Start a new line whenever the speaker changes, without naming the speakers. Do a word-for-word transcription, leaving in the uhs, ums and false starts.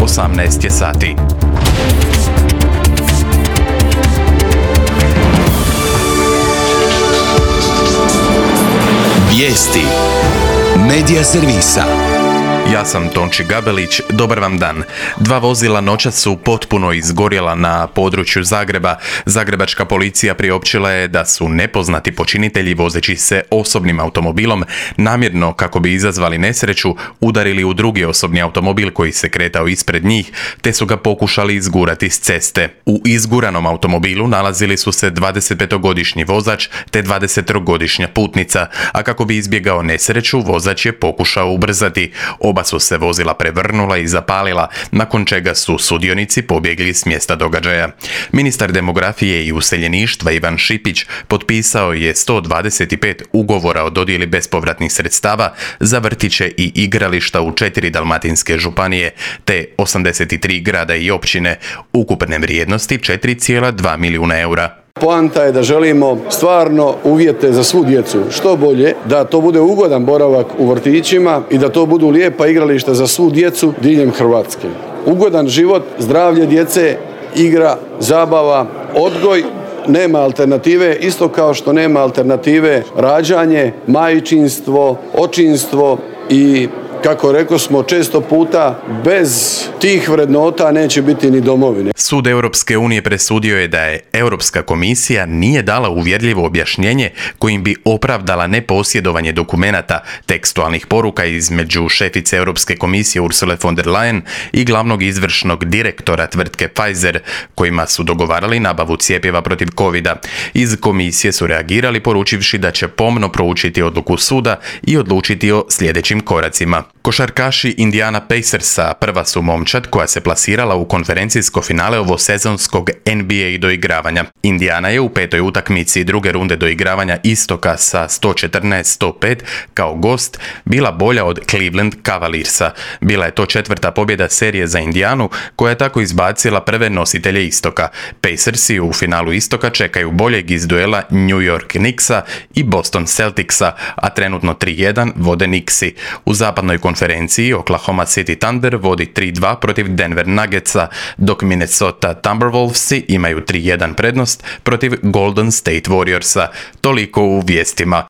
osamnaest je sati.
Vijesti Medija servisa.
Ja sam Tonči Gabelić, dobar vam dan. Dva vozila noćas su potpuno izgorjela na području Zagreba. Zagrebačka policija priopćila je da su nepoznati počinitelji vozeći se osobnim automobilom namjerno, kako bi izazvali nesreću, udarili u drugi osobni automobil koji se kretao ispred njih, te su ga pokušali izgurati s ceste. U izguranom automobilu nalazili su se dvadesetpetogodišnji vozač te dvadesettrogodišnja putnica, a kako bi izbjegao nesreću, vozač je pokušao ubrzati. Oba su se vozila prevrnula i zapalila, nakon čega su sudionici pobjegli s mjesta događaja. Ministar demografije i useljeništva Ivan Šipić potpisao je sto dvadeset pet ugovora o dodjeli bespovratnih sredstava za vrtiće i igrališta u četiri dalmatinske županije, te osamdeset tri grada i općine, ukupne vrijednosti četiri zarez dva milijuna eura.
Poanta je da želimo stvarno uvjete za svu djecu što bolje, da to bude ugodan boravak u vrtićima i da to budu lijepa igrališta za svu djecu diljem Hrvatske. Ugodan život, zdravlje djece, igra, zabava, odgoj, nema alternative, isto kao što nema alternative rađanje, majčinstvo, očinstvo i kako rekao smo često puta, bez tih vrednota neće biti ni domovine.
Sud Europske unije presudio je da je Europska komisija nije dala uvjerljivo objašnjenje kojim bi opravdala neposjedovanje dokumenata, tekstualnih poruka između šefice Europske komisije Ursule von der Leyen i glavnog izvršnog direktora tvrtke Pfizer, kojima su dogovarali nabavu cjepiva protiv covida. Iz komisije su reagirali poručivši da će pomno proučiti odluku suda i odlučiti o sljedećim koracima. Košarkaši Indiana Pacersa prva su momčad koja se plasirala u konferencijsko finale ovosezonskog N B A doigravanja. Indiana je u petoj utakmici druge runde doigravanja istoka sa sto četrnaest sto pet kao gost bila bolja od Cleveland Cavaliersa. Bila je to četvrta pobjeda serije za Indianu, koja je tako izbacila prve nositelje istoka. Pacersi u finalu istoka čekaju boljeg iz duela New York Knicksa i Boston Celticsa, a trenutno tri jedan vode Knicksi. U zapadnoj konferenciji Oklahoma City Thunder vodi tri dva protiv Denver Nuggetsa, dok Minnesota Timberwolvesi imaju tri jedan prednost protiv Golden State Warriorsa. Toliko u vijestima.